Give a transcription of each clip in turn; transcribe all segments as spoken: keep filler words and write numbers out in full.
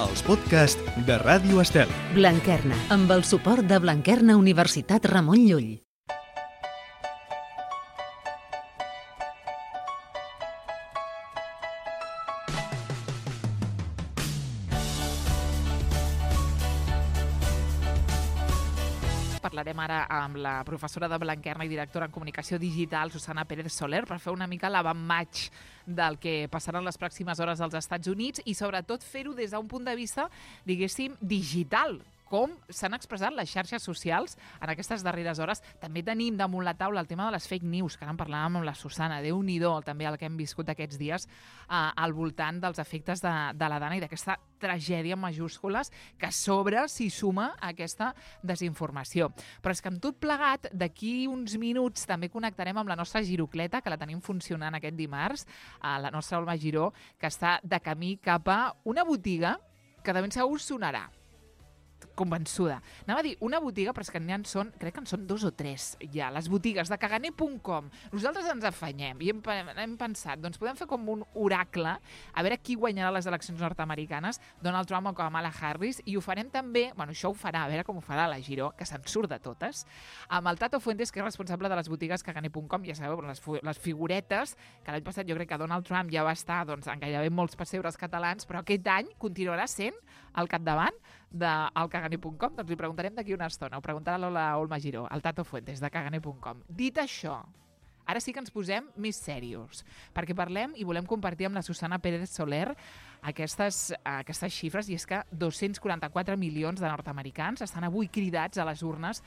els podcasts de Ràdio Estel. Blanquerna, amb el suport de Blanquerna Universitat Ramon Llull. Parlarem ara amb la professora de Blanquerna i directora en comunicació digital, Susana Pérez Soler, per fer una mica l'avantmatch del que passarà en les pròximes hores als Estats Units i sobretot fer-ho des d'un punt de vista, diguéssim, digital. Com s'han expressat les xarxes socials en aquestes darreres hores. També tenim damunt la taula el tema de les fake news, que ara en parlàvem amb la Susana. Déu-n'hi-do també el que hem viscut aquests dies eh, al voltant dels efectes de, de la Dana i d'aquesta tragèdia en majúscules que a sobre s'hi suma aquesta desinformació. Però és que amb tot plegat, d'aquí uns minuts també connectarem amb la nostra girocleta, que la tenim funcionant aquest dimarts, eh, la nostra Olma Giró, que està de camí cap a una botiga que de ben segur sonarà. Convençuda. Anava a dir una botiga, però és que n'hi en són, crec que en són dos o tres ja, les botigues de caganer punt com. Nosaltres ens afanyem i hem, hem pensat, doncs podem fer com un oracle, a veure qui guanyarà les eleccions nord-americanes, Donald Trump o Kamala Harris, i ho farem també, bueno, això ho farà, a veure com ho farà la Giró, que se'n surt de totes, amb el Tato Fuentes, que és responsable de les botigues caganer punt com, ja sabeu, les, les figuretes, que l'any passat jo crec que Donald Trump ja va estar doncs, en gairebé molts pessebres catalans, però aquest any continuarà sent al capdavant del caganer punt com. Doncs li preguntarem d'aquí una estona. Ho preguntarà l'Ola Olma Giró, el Tato Fuentes, de caganer punt com. Dit això, ara sí que ens posem més serios, perquè parlem i volem compartir amb la Susana Pérez Soler aquestes, aquestes xifres, i és que dos-cents quaranta-quatre milions de nord-americans estan avui cridats a les urnes,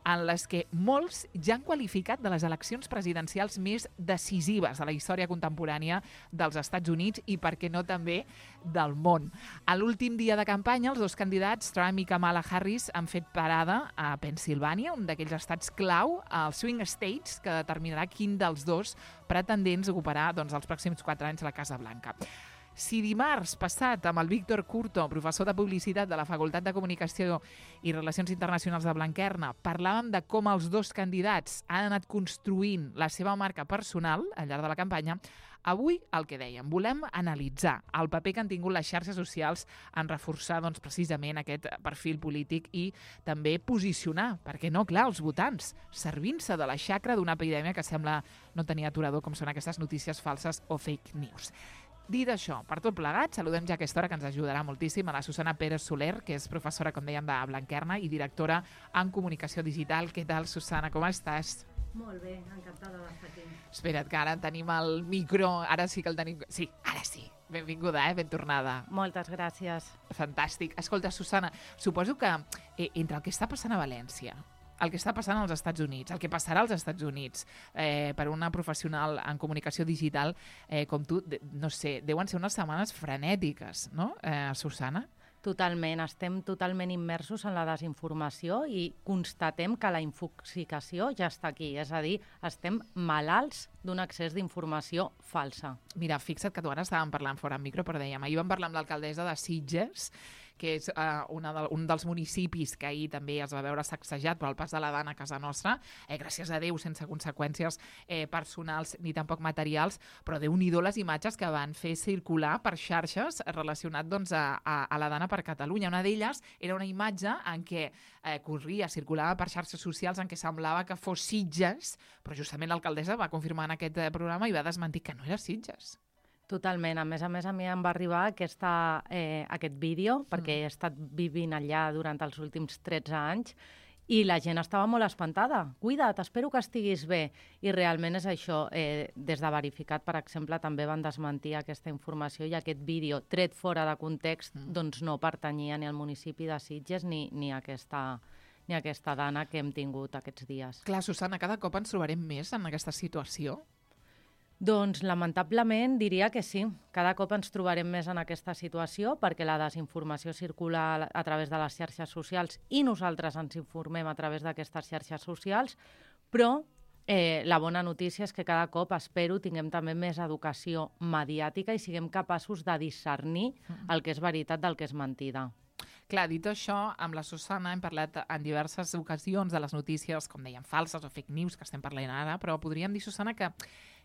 en les que molts ja han qualificat de les eleccions presidencials més decisives de la història contemporània dels Estats Units i, per què no, també del món. A l'últim dia de campanya, els dos candidats, Trump i Kamala Harris, han fet parada a Pennsilvània, un d'aquells estats clau, als Swing States, que determinarà quin dels dos pretendents ocuparà doncs, els pròxims quatre anys la Casa Blanca. Si dimarts passat amb el Víctor Curto, professor de publicitat de la Facultat de Comunicació i Relacions Internacionals de Blanquerna, parlàvem de com els dos candidats han anat construint la seva marca personal al llarg de la campanya, avui el que dèiem, volem analitzar el paper que han tingut les xarxes socials en reforçar doncs, precisament aquest perfil polític i també posicionar, perquè no, clar, els votants, servint-se de la xacra d'una epidèmia que sembla no tenir aturador, com són aquestes notícies falses o fake news. Dit això, per tot plegat, saludem ja a aquesta hora, que ens ajudarà moltíssim, a la Susana Pérez Soler, que és professora, com dèiem, de Blanquerna i directora en comunicació digital. Què tal, Susana, com estàs? Molt bé, encantada d'estar aquí. Espera't, que ara tenim el micro, ara sí que el tenim... Sí, ara sí. Benvinguda, eh? Ben tornada. Moltes gràcies. Fantàstic. Escolta, Susana, suposo que eh, entre el que està passant a València, el que està passant als Estats Units, el que passarà als Estats Units eh, per una professional en comunicació digital eh, com tu, de, no sé, deuen ser unes setmanes frenètiques, no, eh, Susana? Totalment, estem totalment immersos en la desinformació i constatem que la infoxicació ja està aquí, és a dir, estem malalts d'un excés d'informació falsa. Mira, fixa't que tu ara estàvem parlant fora en micro, però dèiem, ahir vam parlar amb l'alcaldessa de Sitges, que és uh, una de, un dels municipis que ahir també es va veure sacsejat per el pas de la Dana a casa nostra, eh, gràcies a Déu, sense conseqüències eh, personals ni tampoc materials, però Déu-n'hi-do les imatges que van fer circular per xarxes relacionat doncs, a, a, a la Dana per Catalunya. Una d'elles era una imatge en què eh, corria, circulava per xarxes socials en què semblava que fos Sitges, però justament l'alcaldessa va confirmar en aquest eh, programa i va desmentir que no era Sitges. Totalment. A més a més, a mi em va arribar aquesta, eh, aquest vídeo, perquè he estat vivint allà durant els últims tretze anys, i la gent estava molt espantada. Cuida't, espero que estiguis bé. I realment és això. Eh, des de Verificat, per exemple, també van desmentir aquesta informació i aquest vídeo, tret fora de context, mm. doncs no pertanyia ni al municipi de Sitges ni, ni a aquesta... ni aquesta Dana que hem tingut aquests dies. Clar, Susana, cada cop ens trobarem més en aquesta situació? Doncs, lamentablement, diria que sí. Cada cop ens trobarem més en aquesta situació perquè la desinformació circula a través de les xarxes socials i nosaltres ens informem a través d'aquestes xarxes socials, però eh, la bona notícia és que cada cop, espero, tinguem també més educació mediàtica i siguem capaços de discernir el que és veritat del que és mentida. Clar, dit això, amb la Susana hem parlat en diverses ocasions de les notícies, com dèiem, falses o fake news, que estem parlant ara, però podríem dir, Susana, que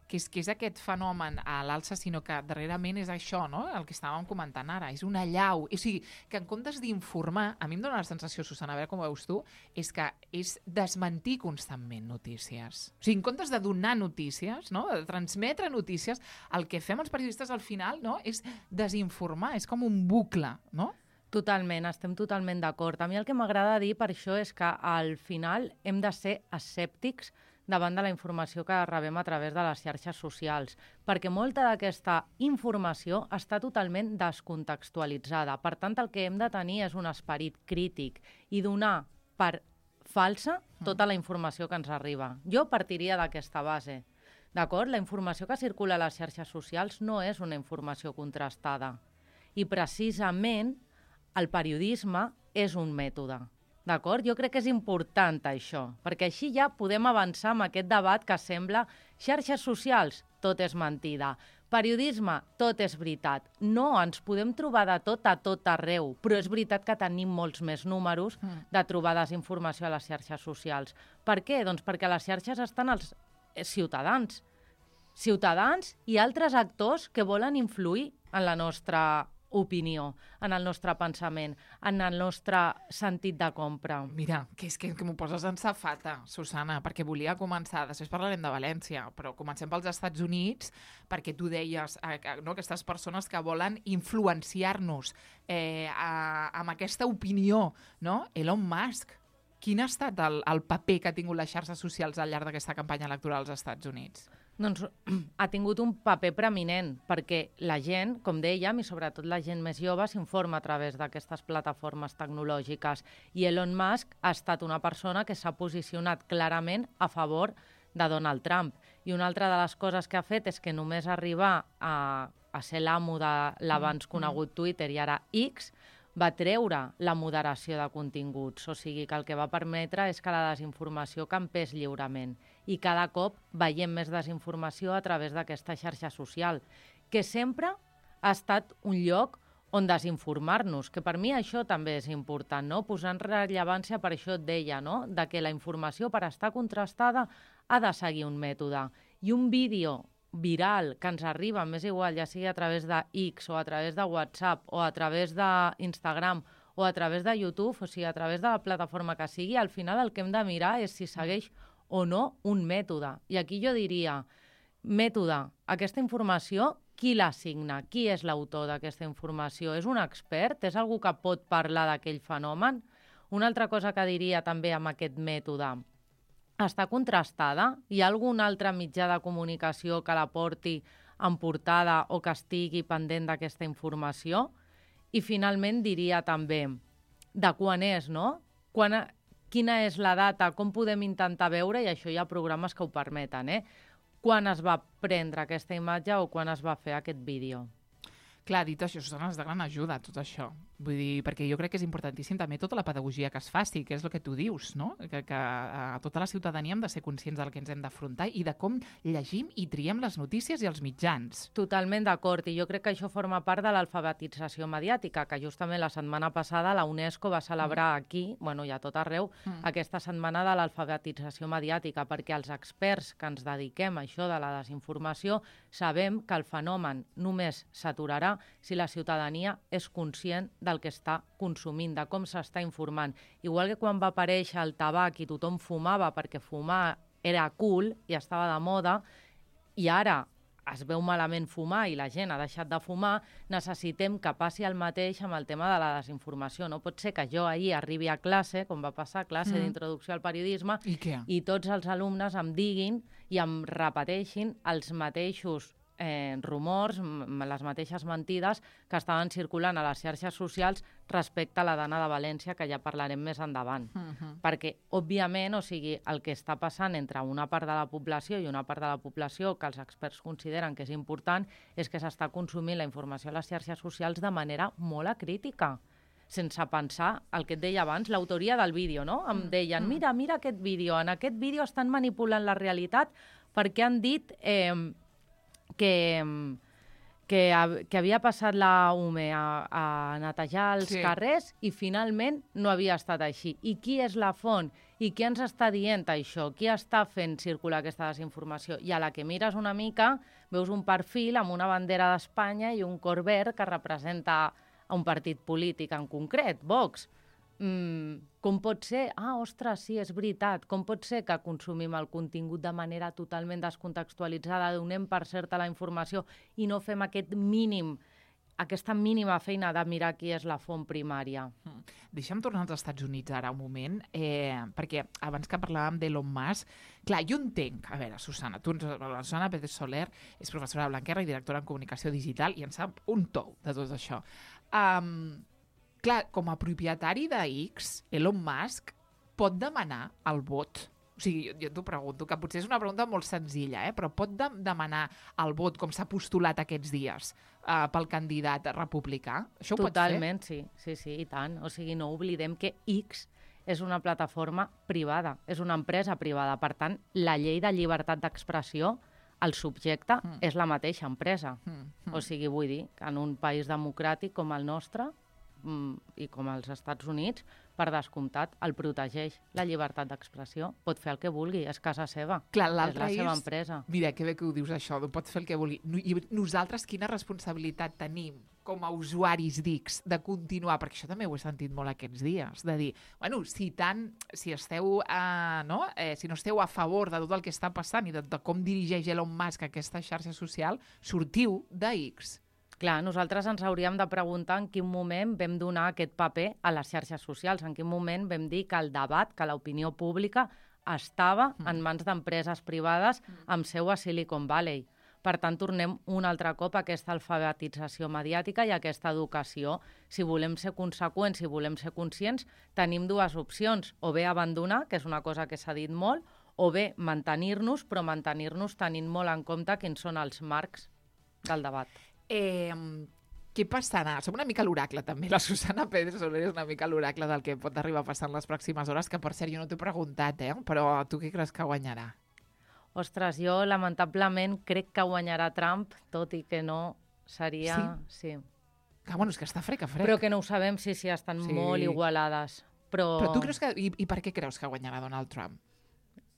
que és, que és aquest fenomen a l'alça, sinó que darrerament és això, no? El que estàvem comentant ara, és una allau. O sigui, que en comptes d'informar, a mi em dóna la sensació, Susana, a veure com ho veus tu, és que és desmentir constantment notícies. O sigui, en comptes de donar notícies, no? De transmetre notícies, el que fem els periodistes al final, no? És desinformar, és com un bucle, no? Totalment, estem totalment d'acord. A mi el que m'agrada dir per això és que al final hem de ser escèptics davant de la informació que rebem a través de les xarxes socials, perquè molta d'aquesta informació està totalment descontextualitzada. Per tant, el que hem de tenir és un esperit crític i donar per falsa tota la informació que ens arriba. Jo partiria d'aquesta base. D'acord? La informació que circula a les xarxes socials no és una informació contrastada. I precisament el periodisme és un mètode. D'acord? Jo crec que és important això, perquè així ja podem avançar amb aquest debat que sembla xarxes socials, tot és mentida. Periodisme, tot és veritat. No, ens podem trobar de tot a tot arreu, però és veritat que tenim molts més números de trobar desinformació a les xarxes socials. Per què? Doncs perquè a les xarxes estan els ciutadans. Ciutadans i altres actors que volen influir en la nostra opinió, en el nostre pensament, en el nostre sentit de compra. Mira, que és que, que m'ho poses en safata, Susana, perquè volia començar, després parlarem de València, però comencem pels Estats Units, perquè tu deies, eh, no, aquestes persones que volen influenciar-nos eh, a, amb aquesta opinió, no? Elon Musk, quin ha estat el, el paper que ha tingut les xarxes socials al llarg d'aquesta campanya electoral als Estats Units? Doncs ha tingut un paper preeminent, perquè la gent, com dèiem, i sobretot la gent més jove, s'informa a través d'aquestes plataformes tecnològiques. I Elon Musk ha estat una persona que s'ha posicionat clarament a favor de Donald Trump. I una altra de les coses que ha fet és que només arribar a, a ser l'amo de l'abans conegut Twitter i ara X, va treure la moderació de continguts, o sigui que el que va permetre és que la desinformació campés lliurement. I cada cop veiem més desinformació a través d'aquesta xarxa social, que sempre ha estat un lloc on desinformar-nos, que per mi això també és important, no? Posar en rellevància, per això et deia, no? De que la informació, per estar contrastada, ha de seguir un mètode. I un vídeo viral que ens arriba, més igual, ja sigui a través de X o a través de WhatsApp o a través d'Instagram o a través de YouTube, o sigui, a través de la plataforma que sigui, al final el que hem de mirar és si segueix o no un mètode. I aquí jo diria, mètode, aquesta informació, qui l'assigna? Qui és l'autor d'aquesta informació? És un expert? És algú que pot parlar d'aquell fenomen? Una altra cosa que diria també amb aquest mètode, està contrastada? Hi ha algun altre mitjà de comunicació que la porti en portada o que estigui pendent d'aquesta informació? I finalment diria també de quan és, no? Quan, quina és la data, com podem intentar veure, i això hi ha programes que ho permeten, eh? Quan es va prendre aquesta imatge o quan es va fer aquest vídeo. Clar, dit això, Susana, és de gran ajuda tot això. Vull dir, perquè jo crec que és importantíssim també tota la pedagogia que es faci, que és el que tu dius, no? Que, que a tota la ciutadania hem de ser conscients del que ens hem d'afrontar i de com llegim i triem les notícies i els mitjans. Totalment d'acord, i jo crec que això forma part de l'alfabetització mediàtica, que justament la setmana passada la UNESCO va celebrar aquí, bueno, i a tot arreu, mm. aquesta setmana de l'alfabetització mediàtica, perquè els experts que ens dediquem a això de la desinformació sabem que el fenomen només s'aturarà si la ciutadania és conscient del que està consumint, de com s'està informant. Igual que quan va aparèixer el tabac i tothom fumava perquè fumar era cool i estava de moda, i ara es veu malament fumar i la gent ha deixat de fumar, necessitem que passi el mateix amb el tema de la desinformació. No pot ser que jo ahir arribi a classe, com va passar a classe mm. d'introducció al periodisme, I, i tots els alumnes em diguin i em repeteixin els mateixos Eh, rumors, les mateixes mentides que estaven circulant a les xarxes socials respecte a la dana de València, que ja parlarem més endavant. Uh-huh. Perquè, òbviament, o sigui, el que està passant entre una part de la població i una part de la població que els experts consideren que és important és que s'està consumint la informació a les xarxes socials de manera molt acrítica, sense pensar el que et deia abans, l'autoria del vídeo, no? Em deien, mira, mira aquest vídeo, en aquest vídeo estan manipulant la realitat perquè han dit... Eh, que, que, que havia passat la U M E a, a netejar els Sí. carrers i finalment no havia estat així. I qui és la font? I qui ens està dient això? Qui està fent circular aquesta desinformació? I a la que mires una mica, veus un perfil amb una bandera d'Espanya i un cor verd que representa un partit polític en concret, Vox. Mm, com pot ser? Ah, ostres, sí, és veritat. Com pot ser que consumim el contingut de manera totalment descontextualitzada, donem per certa la informació i no fem aquest mínim, aquesta mínima feina de mirar qui és la font primària? Mm. Deixa'm tornar als Estats Units ara un moment, eh, perquè abans que parlàvem d'Elon Musk, clar, jo entenc, a veure, Susana, tu, la Susana Pérez Soler és professora de Blanquerna i directora en comunicació digital i en sap un tou de tot això. Um, clar, com a propietari de X, Elon Musk pot demanar el vot. O sigui, jo, jo t'ho pregunto, que potser és una pregunta molt senzilla, eh? Però pot de demanar el vot, com s'ha postulat aquests dies, uh, pel candidat republicà? Això ho Totalment, pot fer? sí, sí, sí, i tant. O sigui, no oblidem que X és una plataforma privada, és una empresa privada. Per tant, la llei de llibertat d'expressió, el subjecte Mm. és la mateixa empresa. Mm, mm. O sigui, vull dir, que en un país democràtic com el nostre mm, i com els Estats Units, per descomptat, el protegeix la llibertat d'expressió. Pot fer el que vulgui, és casa seva, Clar, és l'altre la seva és- empresa. Mira, que bé que ho dius això, tu pots fer el que vulgui. No- I nosaltres quina responsabilitat tenim com a usuaris d'X de continuar, perquè això també ho he sentit molt aquests dies, de dir, bueno, si tant, si esteu, eh, no? Eh, si no esteu a favor de tot el que està passant i de, de com dirigeix Elon Musk aquesta xarxa social, sortiu d'X. Clar, nosaltres ens hauríem de preguntar en quin moment vam donar aquest paper a les xarxes socials, en quin moment vam dir que el debat, que l'opinió pública estava en mans d'empreses privades amb seu a Silicon Valley. Per tant, tornem un altre cop a aquesta alfabetització mediàtica i a aquesta educació. Si volem ser conseqüents, si volem ser conscients, tenim dues opcions. O bé abandonar, que és una cosa que s'ha dit molt, o bé mantenir-nos, però mantenir-nos tenint molt en compte quins són els marcs del debat. Eh, què passarà? Som una mica l'oracle, també. La Susana Pérez Soler és una mica l'oracle del que pot arribar a passar en les pròximes hores, que, per cert, jo no t'he preguntat, eh? Però tu què creus que guanyarà? Ostres, jo lamentablement crec que guanyarà Trump, tot i que no seria... Sí. Que, bueno, és que està frec a frec. Però que no ho sabem, sí, sí, estan Sí. molt igualades. Però, Però tu creus que... I, I per què creus que guanyarà Donald Trump?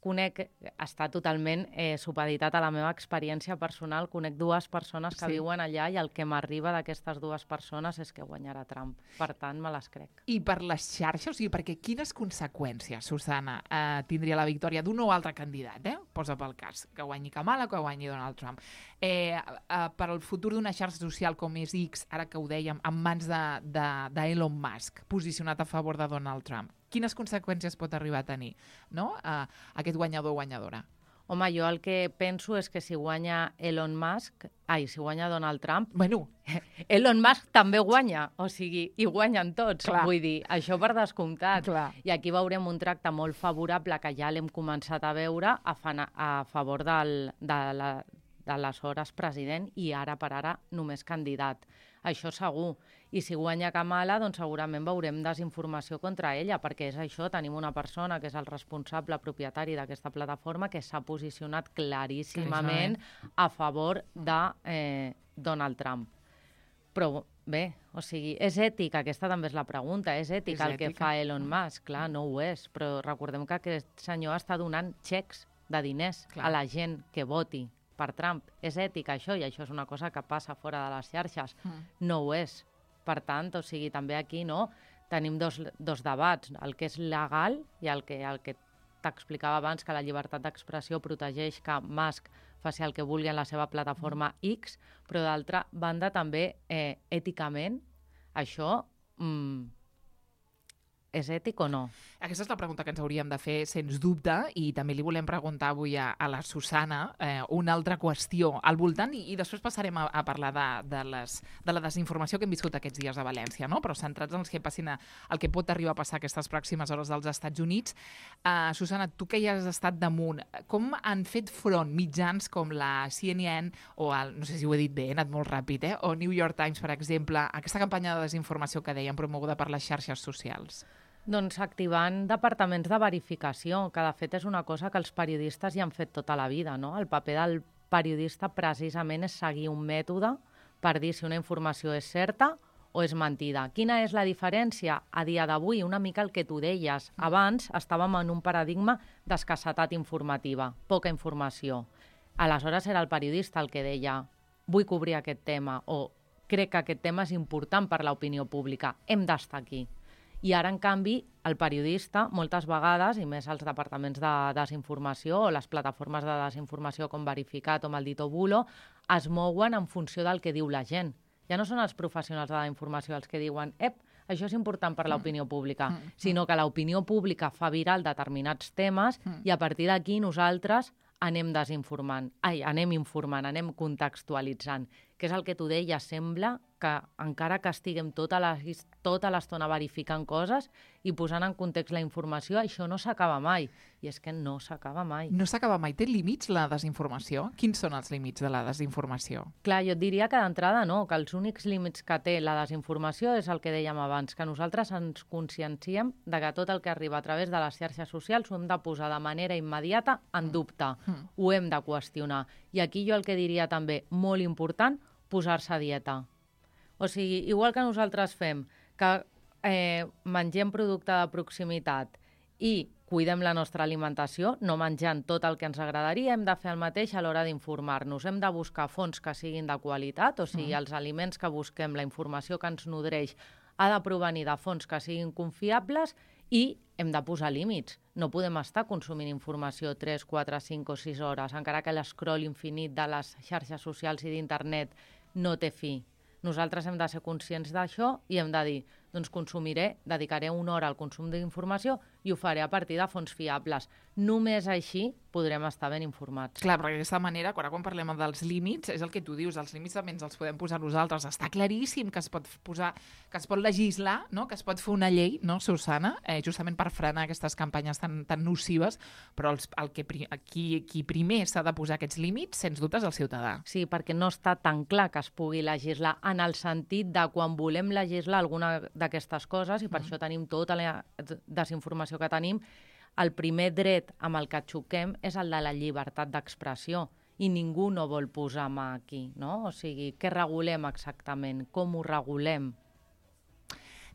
conec, està totalment eh, supeditat a la meva experiència personal, conec dues persones que Sí. viuen allà i el que m'arriba d'aquestes dues persones és que guanyarà Trump. Per tant, me les crec. I per les xarxes, o sigui, perquè quines conseqüències, Susana, eh, tindria la victòria d'un o altre candidat, eh? Posa pel cas, que guanyi Kamala o que guanyi Donald Trump. Eh, eh, per al futur d'una xarxa social com és X, ara que ho dèiem, en mans d'Elon de, de Musk, posicionat a favor de Donald Trump, quines conseqüències pot arribar a tenir, no? Uh, aquest guanyador o guanyadora? Home, jo el que penso és que si guanya Elon Musk, ai, si guanya Donald Trump, Bueno, Elon Musk també guanya, o sigui, i guanyen tots, Clar. vull dir, això per descomptat. Clar. I aquí veurem un tracte molt favorable que ja l'hem començat a veure a, fa, a favor del, de la d'aleshores president i ara per ara només candidat. Això segur. I si guanya Kamala, doncs segurament veurem desinformació contra ella, perquè és això, tenim una persona que és el responsable propietari d'aquesta plataforma que s'ha posicionat claríssimament a favor de eh, Donald Trump. Però bé, o sigui, és ètic, aquesta també és la pregunta, és ètic És el que ètica. fa Elon Musk? Clar, no ho és, però recordem que aquest senyor està donant xecs de diners Clar. a la gent que voti per Trump. És ètic això, i això és una cosa que passa fora de les xarxes. Mm. No ho és. Per tant, o sigui, també aquí no tenim dos, dos debats, el que és legal i el que, el que t'explicava abans, que la llibertat d'expressió protegeix que Musk faci el que vulgui en la seva plataforma X, però d'altra banda també eh, èticament això mm, és ètic o no? Aquesta és la pregunta que ens hauríem de fer, sens dubte, i també li volem preguntar avui a, a la Susana eh, una altra qüestió al voltant, i, i després passarem a, a parlar de, de, les, de la desinformació que hem viscut aquests dies a València, no? Però centrats en el que, passin a, el que pot arribar a passar aquestes pròximes hores dels Estats Units. Uh, Susana, tu que ja has estat damunt, com han fet front mitjans com la C N N, o el, no sé si ho he dit bé, he anat molt ràpid, eh? O New York Times, per exemple, aquesta campanya de desinformació que dèiem promoguda per les xarxes socials? Doncs activant departaments de verificació, que de fet és una cosa que els periodistes ja han fet tota la vida, no? El paper del periodista precisament és seguir un mètode per dir si una informació és certa o és mentida. Quina és la diferència? A dia d'avui, una mica el que tu deies. Abans estàvem en un paradigma d'escassetat informativa, poca informació. Aleshores era el periodista el que deia vull cobrir aquest tema o crec que aquest tema és important per l'opinió pública, hem d'estar aquí. I ara, en canvi, el periodista, moltes vegades, i més els departaments de desinformació o les plataformes de desinformació com Verificat o Maldito Bulo, es mouen en funció del que diu la gent. Ja no són els professionals de la informació els que diuen ep, això és important per l'opinió pública, mm. sinó que l'opinió pública fa viral determinats temes mm. i a partir d'aquí nosaltres anem desinformant, ai, anem informant, anem contextualitzant, que és el que tu deies, sembla que encara que estiguem tota la, tota l'estona verificant coses i posant en context la informació, això no s'acaba mai. I és que no s'acaba mai. No s'acaba mai. Té límits la desinformació? Quins són els límits de la desinformació? Clar, jo et diria que d'entrada no, que els únics límits que té la desinformació és el que dèiem abans, que nosaltres ens conscienciem de que tot el que arriba a través de les xarxes socials ho hem de posar de manera immediata en dubte, mm. ho hem de qüestionar. I aquí jo el que diria també, molt important, posar-se a dieta. O sigui, igual que nosaltres fem, que eh, mengem producte de proximitat i cuidem la nostra alimentació, no menjant tot el que ens agradaria, hem de fer el mateix a l'hora d'informar-nos. Hem de buscar fonts que siguin de qualitat, o sigui, mm. els aliments que busquem, la informació que ens nodreix, ha de provenir de fonts que siguin confiables i hem de posar límits. No podem estar consumint informació tres, quatre, cinc o sis hores, encara que l'escroll infinit de les xarxes socials i d'internet no té fi. Nosaltres hem de ser conscients d'això i hem de dir, doncs consumiré, dedicaré una hora al consum d'informació i ho faré a partir de fonts fiables. Només així podrem estar ben informats. Clar, perquè d'aquesta manera, quan, quan parlem dels límits, és el que tu dius, els límits també ens els podem posar nosaltres. Està claríssim que es pot posar, que es pot legislar, no? Que es pot fer una llei, no, Susana, eh, justament per frenar aquestes campanyes tan, tan nocives, però els, el que, qui, qui primer s'ha de posar aquests límits, sens dubte, és el ciutadà. Sí, perquè no està tan clar que es pugui legislar en el sentit de quan volem legislar alguna d'aquestes coses, i per mm. això tenim tota la desinformació que tenim, el primer dret amb el que xoquem és el de la llibertat d'expressió i ningú no vol posar mà aquí, no? O sigui, què regulem exactament? Com ho regulem?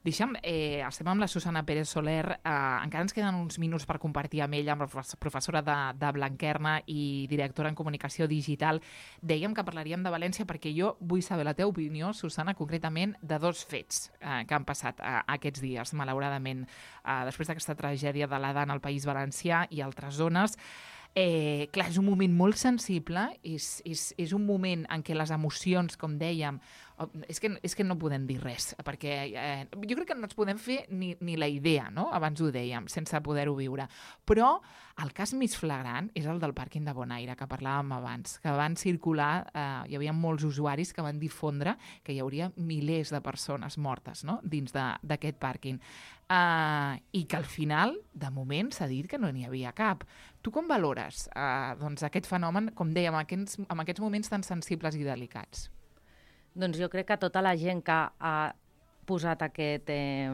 Deixa'm, eh, estem amb la Susana Pérez Soler, eh, encara ens queden uns minuts per compartir amb ella, amb la professora de, de Blanquerna i directora en comunicació digital. Dèiem que parlaríem de València perquè jo vull saber la teva opinió, Susana, concretament de dos fets eh, que han passat eh, aquests dies, malauradament, eh, després d'aquesta tragèdia de l'Adana al País Valencià i altres zones. Eh, clar, és un moment molt sensible, és, és, és un moment en què les emocions, com dèiem, és que, és que no podem dir res, perquè eh, jo crec que no ens podem fer ni, ni la idea, no? Abans ho dèiem, sense poder-ho viure. Però el cas més flagrant és el del pàrquing de Bonaire, que parlàvem abans, que van circular, eh, hi havia molts usuaris que van difondre que hi hauria milers de persones mortes, no? Dins d'aquest pàrquing. Uh, I que al final, de moment, s'ha dit que no n'hi havia cap. Tu com valores uh, doncs aquest fenomen, com dèiem, en aquests, en aquests moments tan sensibles i delicats? Doncs jo crec que tota la gent que ha posat aquest, eh,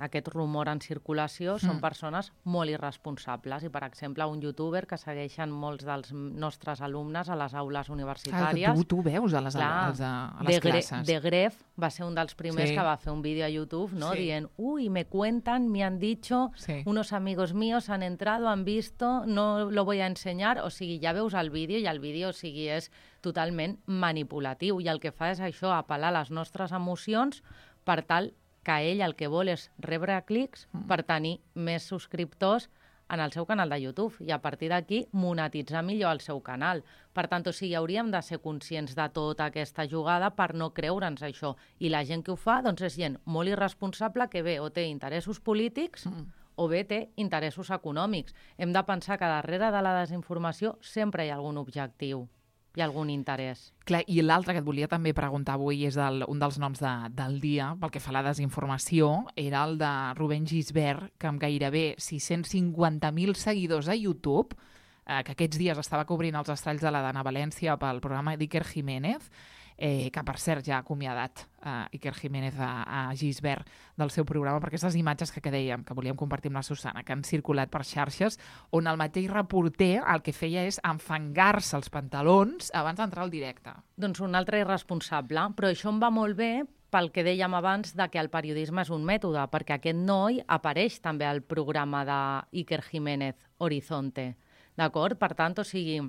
aquest rumor en circulació mm. són persones molt irresponsables. I, per exemple, un youtuber que segueixen molts dels nostres alumnes a les aules universitàries. Ah, tu, tu veus a les, Clar, a les, a les de classes. De Gref va ser un dels primers sí. que va fer un vídeo a YouTube, ¿no? Sí. Dient, uy, me cuentan, me han dicho, sí. unos amigos míos han entrado, han visto, no lo voy a enseñar. O sigui, ja veus el vídeo i el vídeo, o sigui, és totalment manipulatiu i el que fa és això, apel·lar les nostres emocions per tal que ell el que vol és rebre clics mm. per tenir més subscriptors en el seu canal de YouTube i a partir d'aquí monetitzar millor el seu canal. Per tant, o sigui, hauríem de ser conscients de tota aquesta jugada per no creure'ns això. I la gent que ho fa doncs, és gent molt irresponsable que bé o té interessos polítics mm. o bé té interessos econòmics. Hem de pensar que darrere de la desinformació sempre hi ha algun objectiu. Hi ha algun interès. Clar, i l'altre que et volia també preguntar avui és el, un dels noms de, del dia, pel que fa a la desinformació, era el de Rubén Gisbert, que amb gairebé sis-cents cinquanta mil seguidors a YouTube, eh, que aquests dies estava cobrint els estralls de la Dana València pel programa d'Iker Jiménez, eh, que per cert ja ha acomiadat eh, Iker Jiménez a, a Gisbert del seu programa, per aquestes imatges que, que dèiem, que volíem compartir amb la Susana, que han circulat per xarxes, on el mateix reporter el que feia és enfangar-se els pantalons abans d'entrar al directe. Doncs un altre irresponsable, però això em va molt bé pel que dèiem abans de que el periodisme és un mètode, perquè aquest noi apareix també al programa d'Iker Jiménez, Horizonte. D'acord? Per tant, o sigui,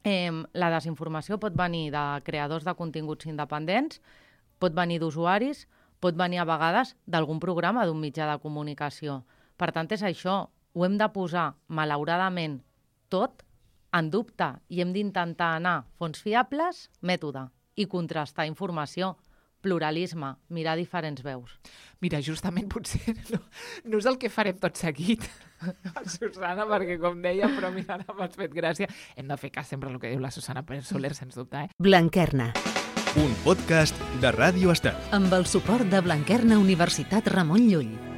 eh, la desinformació pot venir de creadors de continguts independents, pot venir d'usuaris, pot venir a vegades d'algun programa d'un mitjà de comunicació. Per tant, és això. Ho hem de posar, malauradament, tot en dubte i hem d'intentar anar fonts fiables, mètode, i contrastar informació. Pluralisme, mirar diferents veus. Mira, justament potser no, no és el que farem tot seguit, Susana, perquè com deia, però mira, ara m'has fet gràcia. Hem de fer cas sempre el que diu la Susana Pérez Soler, sens dubte. Eh? Blanquerna. Un podcast de Ràdio Estel. Amb el suport de Blanquerna Universitat Ramon Llull.